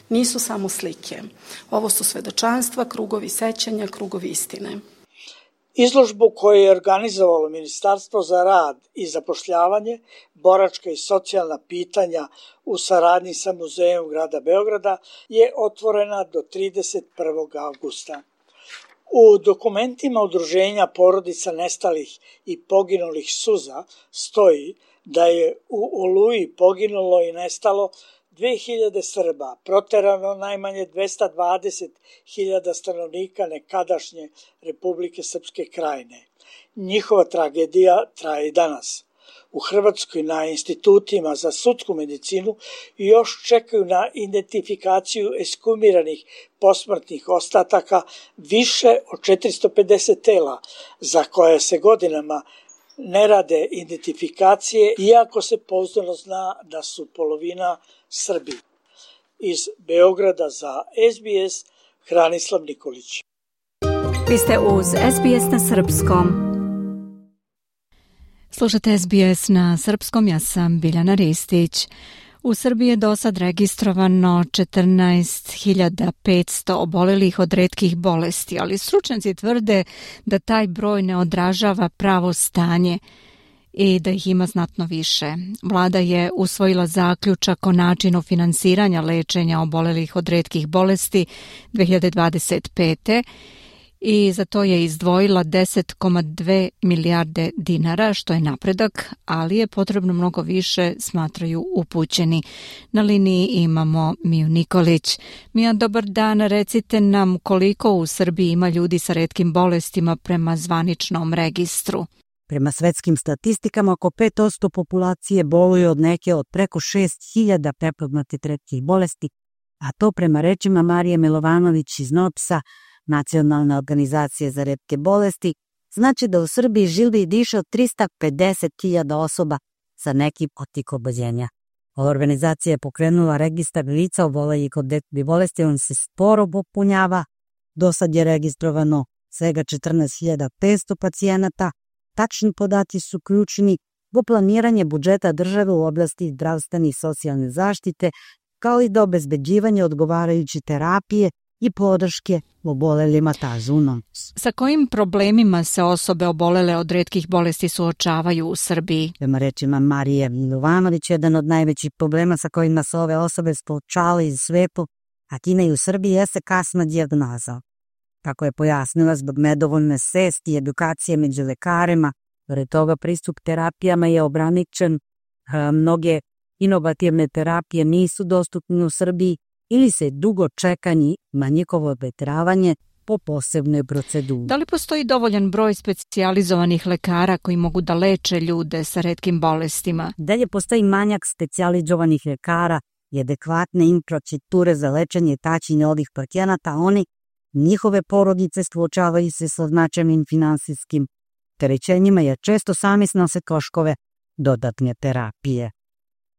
Nisu samo slike. Ovo su svedočanstva, krugovi sećanja, krugovi istine. Izložbu koju je organizovalo Ministarstvo za rad i zapošljavanje, boračka i socijalna pitanja u saradnji sa Muzejom grada Beograda je otvorena do trideset prvog avgusta. U dokumentima Udruženja porodica nestalih i poginulih suza stoji da je u Oluji poginulo i nestalo dve hiljade Srba, proterano najmanje dvesta dvadeset hiljada stanovnika nekadašnje Republike Srpske Krajine. Njihova tragedija traje i danas. U Hrvatskoj na institutima za sudsku medicinu još čekaju na identifikaciju ekshumiranih posmrtnih ostataka više od četiristo pedeset tela, za koje se godinama ne rade identifikacije, iako se pouzdano zna da su polovina Srbi. Iz Beograda za S B S, Hranislav Nikolić. Vi ste uz S B S na srpskom. Slušate S B S na srpskom, ja sam Biljana Ristić. U Srbiji je do sad registrovano četrnaest hiljada petsto obolelih od retkih bolesti, ali stručnjaci tvrde da taj broj ne odražava pravo stanje i da ih ima znatno više. Vlada je usvojila zaključak o načinu finansiranja lečenja obolelih od retkih bolesti dve hiljade dvadeset pete i za to je izdvojila deset zarez dve milijarde dinara, što je napredak, ali je potrebno mnogo više, smatraju upućeni. Na liniji imamo Miju Nikolić. Mija, dobar dan, recite nam koliko u Srbiji ima ljudi sa retkim bolestima prema zvaničnom registru. Prema svetskim statistikama, oko pet posto populacije boluje od neke od preko šest hiljada prepoznatih retkih bolesti, a to prema rečima Marije Milovanović iz NOPS-a, Nacionalne organizacije za retke bolesti, znači da u Srbiji živi i diše od trista pedeset hiljada osoba sa nekim od tih oboljenja. Ova organizacija je pokrenula registar lica obolelih od retkih bolesti, on se sporo popunjava. Do sad je registrovano svega četrnaest hiljada petsto pacijenata. Tačni podaci su ključni u planiranje budžeta države u oblasti zdravstvene i socijalne zaštite, kao i do obezbeđivanja odgovarajuće terapije i podrške obolelima tazunom. Sa kojim problemima se osobe obolele od retkih bolesti suočavaju u Srbiji? Prema rečima Marije Milovanović, jedan od najvećih problema sa kojima se ove osobe suočavaju u svetu, a time i u Srbiji, jeste kasna dijagnoza. Kako je pojasnila, zbog nedovoljne svesti i edukacije među lekarima, pored toga pristup terapijama je ograničen, mnoge inovativne terapije nisu dostupne u Srbiji ili se dugo čekanje na njihovo obetravanje po posebnoj proceduri. Da li postoji dovoljan broj specijalizovanih lekara koji mogu da leče ljude sa retkim bolestima? Dalje postoji manjak specijalizovanih lekara i adekvatne infrastrukture za lečenje i tačenje ovih pacijenata, a oni, njihove porodice suočavaju se sa značajnim finansijskim terećenjima jer često sami snose troškove dodatne terapije.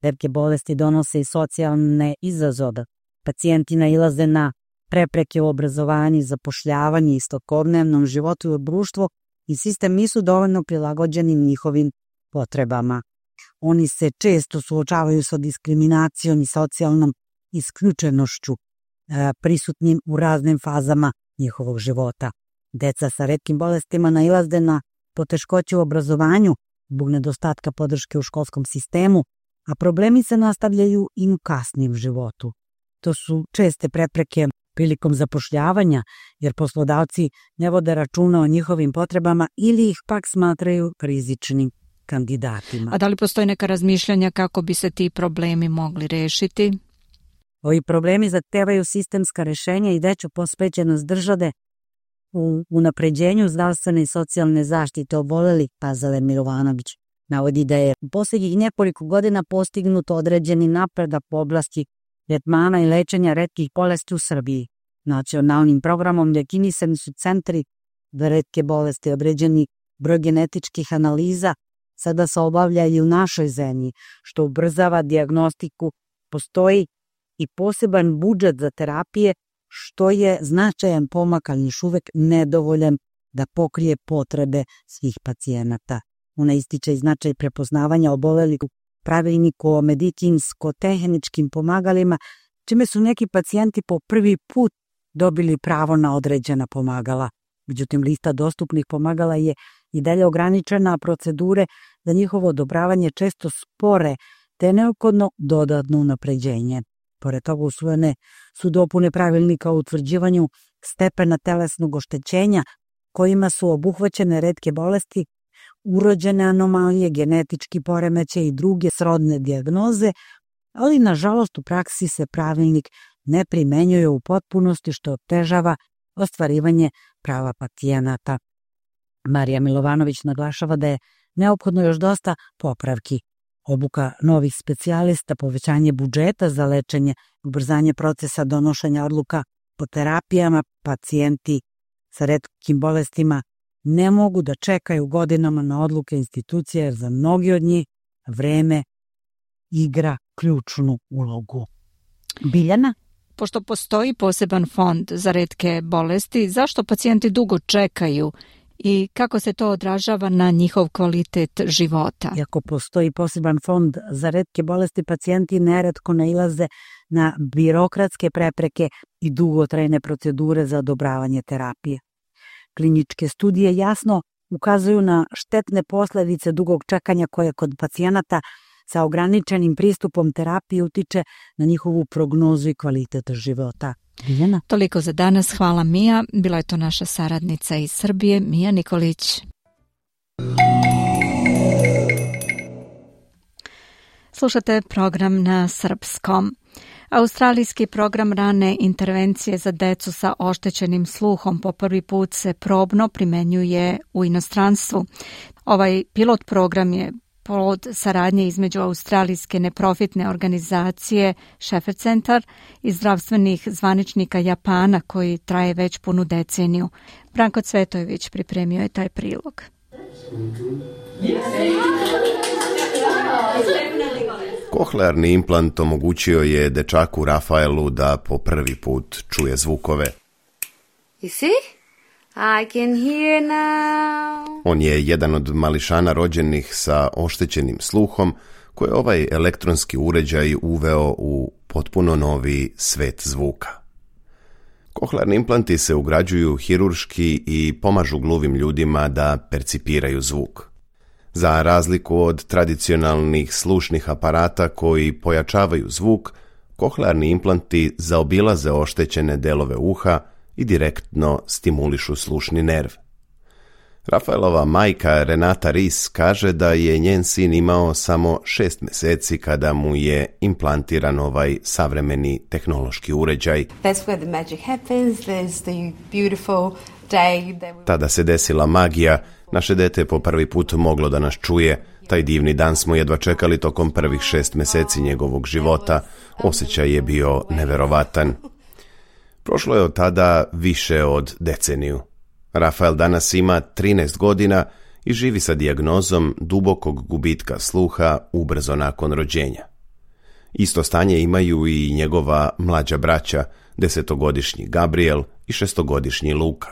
Retke bolesti donose i socijalne izazove. Pacijenti nailaze na prepreke u obrazovanju, zapošljavanju i svakodnevnom životu u društvu i sistem nisu dovoljno prilagođeni njihovim potrebama. Oni se često suočavaju sa diskriminacijom i socijalnom isključenošću e, prisutnim u raznim fazama njihovog života. Deca sa retkim bolestima nailaze na poteškoće u obrazovanju zbog nedostatka podrške u školskom sistemu, a problemi se nastavljaju i u kasnijem životu. To su česte prepreke prilikom zapošljavanja, jer poslodavci ne vode računa o njihovim potrebama ili ih pak smatraju rizičnim kandidatima. A da li postoji neka razmišljanja kako bi se ti problemi mogli rešiti? Ovi problemi zahtevaju sistemska rešenja i veću posvećenost države u unapređenju zdravstvene i socijalne zaštite obolelih, Pazale Milovanović navodi da je u posljednjih nekoliko godina postignuto određeni napredak u oblasti tretmana i lečenja retkih bolesti u Srbiji. Nacionalnim programom definisani su centri za retke bolesti, određeni broj genetičkih analiza sada se obavlja i u našoj zemlji, što ubrzava dijagnostiku. Postoji i poseban budžet za terapije, što je značajan pomak, ali još uvek nedovoljan da pokrije potrebe svih pacijenata. Ona ističe i značaj prepoznavanja obolelih u pravilniku o medicinsko-tehničkim pomagalima, čime su neki pacijenti po prvi put dobili pravo na određena pomagala. Međutim, lista dostupnih pomagala je i dalje ograničena, a procedure za njihovo odobravanje često spore, te je neophodno dodatno unapređenje. Pored toga usvojene su dopune pravilnika o utvrđivanju stepena telesnog oštećenja, kojima su obuhvaćene retke bolesti, urođene anomalije, genetički poremećaj i druge srodne dijagnoze, ali nažalost u praksi se pravilnik ne primenjuje u potpunosti, što otežava ostvarivanje prava pacijenata. Marija Milovanović naglašava da je neophodno još dosta popravki. Obuka novih specijalista, povećanje budžeta za lečenje, ubrzanje procesa donošenja odluka po terapijama, pacijenti sa retkim bolestima ne mogu da čekaju godinama na odluke institucije, jer za mnogi od njih vreme igra ključnu ulogu. Biljana? Pošto postoji poseban fond za retke bolesti, zašto pacijenti dugo čekaju i kako se to odražava na njihov kvalitet života? Iako postoji poseban fond za retke bolesti, pacijenti neretko nailaze na birokratske prepreke i dugotrajne procedure za odobravanje terapije. Kliničke studije jasno ukazuju na štetne posledice dugog čekanja koje kod pacijenata sa ograničenim pristupom terapije utiče na njihovu prognozu i kvalitet života. Biljana? Toliko za danas. Hvala Mija. Bila je to naša saradnica iz Srbije, Mija Nikolić. Slušate program na srpskom. Australijski program rane intervencije za decu sa oštećenim sluhom po prvi put se probno primenjuje u inostranstvu. Ovaj pilot program je plod saradnje između australijske neprofitne organizacije Shepherd Center i zdravstvenih zvaničnika Japana, koji traje već punu deceniju. Branko Cvetojević pripremio je taj prilog. Kohlearni implant omogućio je dečaku Rafaelu da po prvi put čuje zvukove. You see? I can hear now. On je jedan od mališana rođenih sa oštećenim sluhom, koje ovaj elektronski uređaj uveo u potpuno novi svet zvuka. Kohlearni implanti se ugrađuju hirurški i pomažu gluvim ljudima da percipiraju zvuk. Za razliku od tradicionalnih slušnih aparata koji pojačavaju zvuk, kohlearni implanti zaobilaze oštećene delove uha i direktno stimulišu slušni nerv. Rafaelova majka Renata Ris kaže da je njen sin imao samo šest meseci kada mu je implantiran ovaj savremeni tehnološki uređaj. Tada se desila magija, naše dete je po prvi put moglo da nas čuje. Taj divni dan smo jedva čekali tokom prvih šest meseci njegovog života. Osjećaj je bio neverovatan. Prošlo je od tada više od deceniju. Rafael danas ima trinaest godina i živi sa dijagnozom dubokog gubitka sluha ubrzo nakon rođenja. Isto stanje imaju i njegova mlađa braća, desetogodišnji Gabriel i šestogodišnji Luka.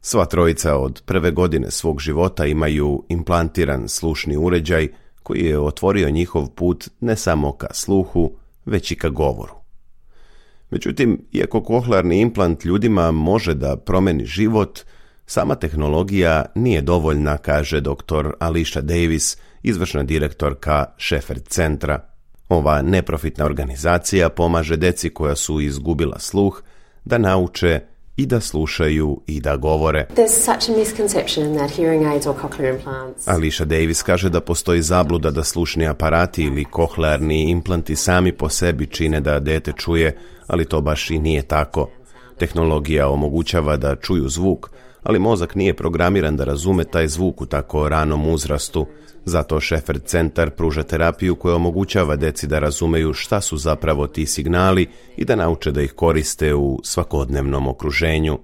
Sva trojica od prve godine svog života imaju implantiran slušni uređaj koji je otvorio njihov put ne samo ka sluhu, već i ka govoru. Međutim, iako kohlearni implant ljudima može da promeni život, Sama tehnologija nije dovoljna, kaže doktor Alicia Davis, izvršna direktorka Shepherd centra. Ova neprofitna organizacija pomaže deci koja su izgubila sluh da nauče i da slušaju i da govore. Alicia Davis kaže da postoji zabluda da slušni aparati ili kohlearni implanti sami po sebi čine da dete čuje, ali to baš i nije tako. Tehnologija omogućava da čuju zvuk, ali mozak nije programiran da razume taj zvuk u tako ranom uzrastu. Zato Shepherd centar pruža terapiju koja omogućava deci da razumeju šta su zapravo ti signali i da nauče da ih koriste u svakodnevnom okruženju.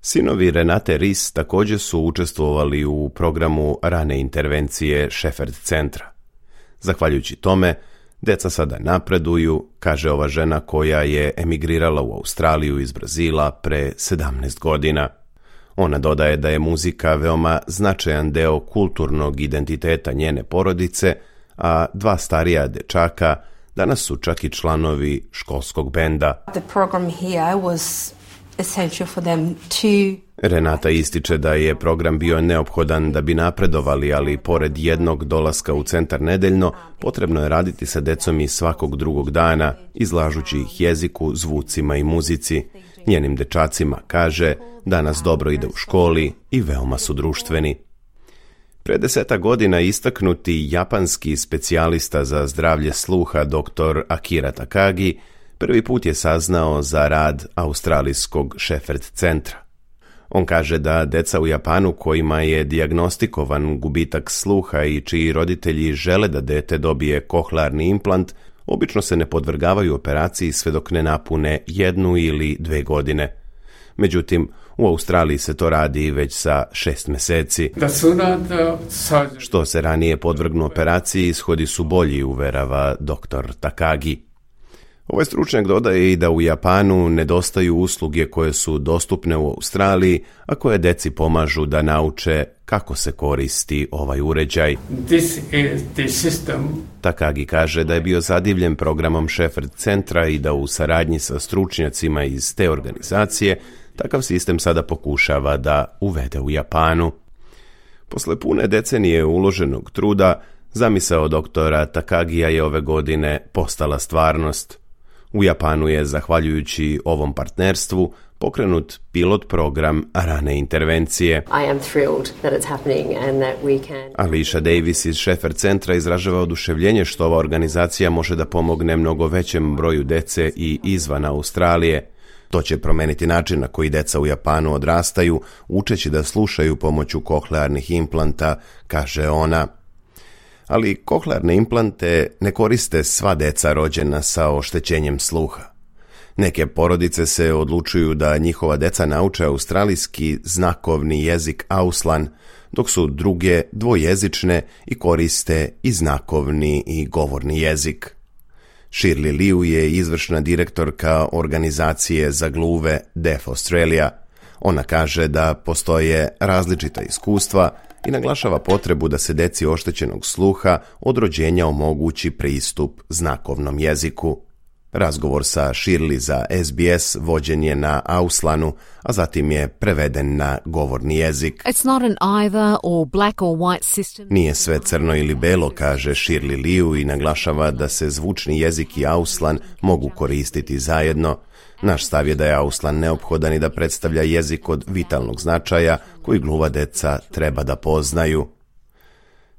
Sinovi Renate Ries također su učestvovali u programu rane intervencije Shepherd centra. Zahvaljujući tome, deca sada napreduju, kaže ova žena koja je emigrirala u Australiju iz Brazila pre sedamnaest godina. Ona dodaje da je muzika veoma značajan deo kulturnog identiteta njene porodice, a dva starija dečaka danas su čak i članovi školskog benda. The program here was essential for them to... Renata ističe da je program bio neophodan da bi napredovali, ali pored jednog dolaska u centar nedeljno, potrebno je raditi sa decom i svakog drugog dana, izlažući ih jeziku, zvucima i muzici. Njenim dečacima kaže, danas dobro ide u školi i veoma su društveni. Pre deseta godina istaknuti japanski specijalista za zdravlje sluha doktor Akira Takagi prvi put je saznao za rad australijskog Shepherd centra. On kaže da deca u Japanu kojima je dijagnostikovan gubitak sluha i čiji roditelji žele da dete dobije kohlearni implant, obično se ne podvrgavaju operaciji sve dok ne napune jednu ili dve godine. Međutim, u Australiji se to radi već sa šest meseci. Što se ranije podvrgnu operaciji, ishodi su bolji, uverava doktor Takagi. Ovaj stručnjak dodaje i da u Japanu nedostaju usluge koje su dostupne u Australiji, a koje deci pomažu da nauče kako se koristi ovaj uređaj. This is the system. Takagi kaže da je bio zadivljen programom Shepherd centra i da u saradnji sa stručnjacima iz te organizacije takav sistem sada pokušava da uvede u Japanu. Posle pune decenije uloženog truda, zamisao doktora Takagija je ove godine postala stvarnost. U Japanu je, zahvaljujući ovom partnerstvu, pokrenut pilot program rane intervencije. I am thrilled that it's happening and that we can... Alicia Davis iz Shepherd centra izražava oduševljenje što ova organizacija može da pomogne mnogo većem broju dece i izvan Australije. To će promeniti način na koji deca u Japanu odrastaju, učeći da slušaju pomoću kohlearnih implanta, kaže ona. Ali kohlearne implante ne koriste sva deca rođena sa oštećenjem sluha. Neke porodice se odlučuju da njihova deca nauče australijski znakovni jezik Auslan, dok su druge dvojezične i koriste i znakovni i govorni jezik. Shirley Liu je izvršna direktorka organizacije za gluve Deaf Australia. Ona kaže da postoje različita iskustva i naglašava potrebu da se deci oštećenog sluha od rođenja omogući pristup znakovnom jeziku. Razgovor sa Shirley za S B S vođen je na Auslanu, a zatim je preveden na govorni jezik. It's not an either or black or white system. Nije sve crno ili belo, kaže Shirley Liu i naglašava da se zvučni jezik i Auslan mogu koristiti zajedno. Naš stav je da je Auslan neophodan i da predstavlja jezik od vitalnog značaja koji gluva deca treba da poznaju.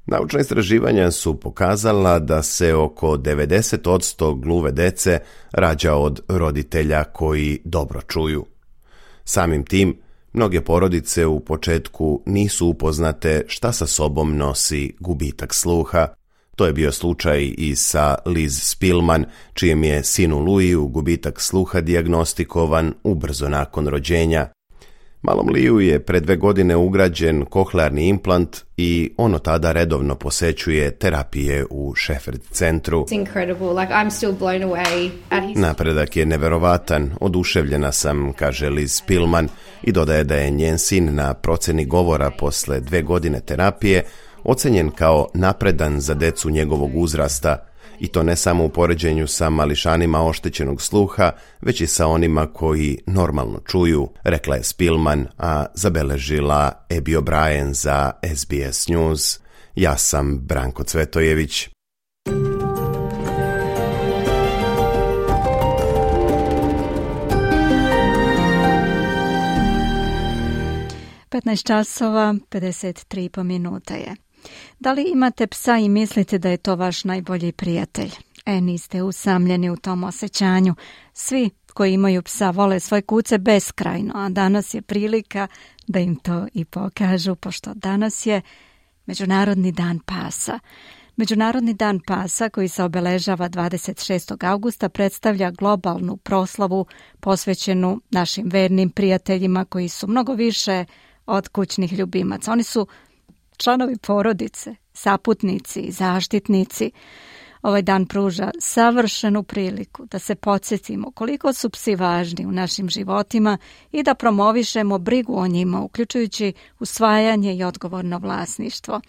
Naučna istraživanja su pokazala da se oko devedeset posto gluve dece rađa od roditelja koji dobro čuju. Samim tim, mnoge porodice u početku nisu upoznate šta sa sobom nosi gubitak sluha. To je bio slučaj i sa Liz Spillman, čijem je sinu Louisu gubitak sluha dijagnostikovan ubrzo nakon rođenja. Malom Liu je pre dve godine ugrađen kohlearni implant i ono tada redovno posećuje terapije u Shepherd centru. Napredak je neverovatan, oduševljena sam, kaže Liz Spillman i dodaje da je njen sin na proceni govora posle dve godine terapije ocenjen kao napredan za decu njegovog uzrasta I to ne samo u poređenju sa mališanima oštećenog sluha, već i sa onima koji normalno čuju, rekla je Spilman, a zabeležila Abby O'Brien za S B S News. Ja sam Branko Cvetojević. petnaest časova, pedeset tri po minuta je. Da li imate psa i mislite da je to vaš najbolji prijatelj? E, niste usamljeni u tom osjećanju. Svi koji imaju psa vole svoje kuce beskrajno, a danas je prilika da im to i pokažu, pošto danas je Međunarodni dan pasa. Međunarodni dan pasa, koji se obeležava dvadeset šestog augusta, predstavlja globalnu proslavu posvećenu našim vernim prijateljima koji su mnogo više od kućnih ljubimaca. Oni su članovi porodice, saputnici i zaštitnici. Ovaj dan pruža savršenu priliku da se podsjetimo koliko su psi važni u našim životima i da promovišemo brigu o njima, uključujući usvajanje i odgovorno vlasništvo.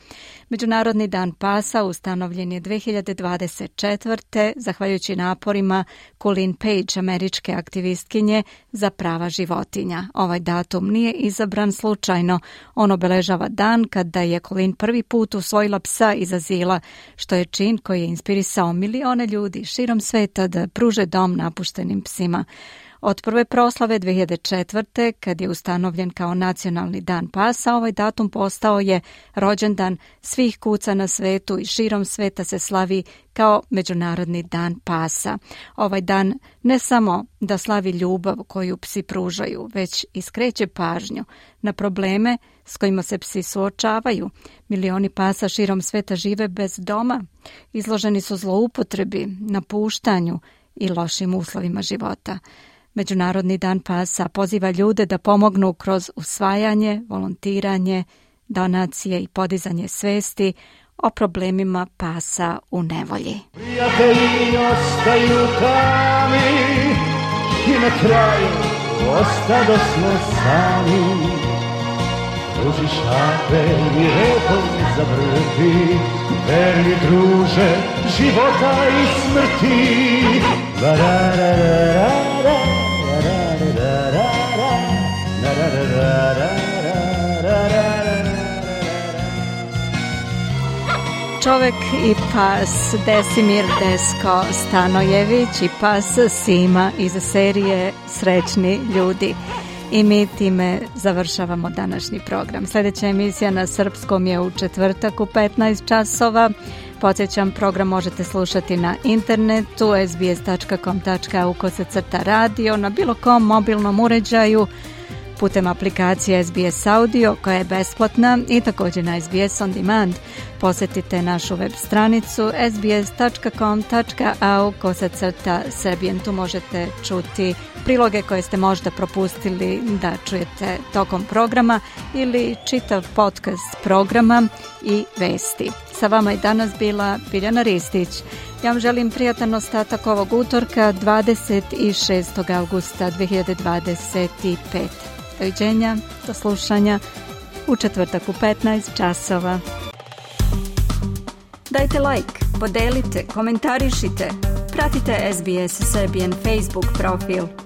Međunarodni dan pasa ustanovljen je dve hiljade dvadeset četvrte zahvaljujući naporima Colleen Page, američke aktivistkinje za prava životinja. Ovaj datum nije izabran slučajno. On obeležava dan kada je Colleen prvi put usvojila psa iz azila, što je čin koji je inspirisao sa milione ljudi širom sveta da pruže dom napuštenim psima. Od prve proslave dve hiljade četvrte, kad je ustanovljen kao nacionalni dan pasa, ovaj datum postao je rođendan svih kuca na svetu i širom sveta se slavi kao Međunarodni dan pasa. Ovaj dan ne samo da slavi ljubav koju psi pružaju, već i skreće pažnju na probleme s kojima se psi suočavaju. Milioni pasa širom sveta žive bez doma, izloženi su zloupotrebi, napuštanju i lošim uslovima života. Međunarodni dan pasa poziva ljude da pomognu kroz usvajanje, volontiranje, donacije i podizanje svesti o problemima pasa u nevolji. Prijatelji ostaju tami i na kraju ostadosmo sami. Ruži šape i repom zavrti, verni druže života i smrti. Čovek i pas Desimir Desko Stanojević i pas Sima iz serije Srećni ljudi. I mi time završavamo današnji program. Sljedeća emisija na srpskom je u četvrtak u petnaest časova. Podsjećam, program možete slušati na internetu es be es tačka com tačka a u kosacrta radio, na bilo kom mobilnom uređaju, putem aplikacije S B S Audio koja je besplatna i također na S B S On Demand. Posjetite našu web stranicu es be es tačka com tačka a u kosacrta Serbian. Tu možete čuti priloge koje ste možda propustili da čujete tokom programa ili čitav podcast programa i vesti. Sa vama je danas bila Biljana Ristić. Ja vam želim prijatan ostatak ovog utorka dvadeset šestog augusta dve hiljade dvadeset pete. Doviđenja, do slušanja u četvrtak u petnaest časova. Dajte like, podelite, komentarišite, pratite S B S Serbian Facebook profil.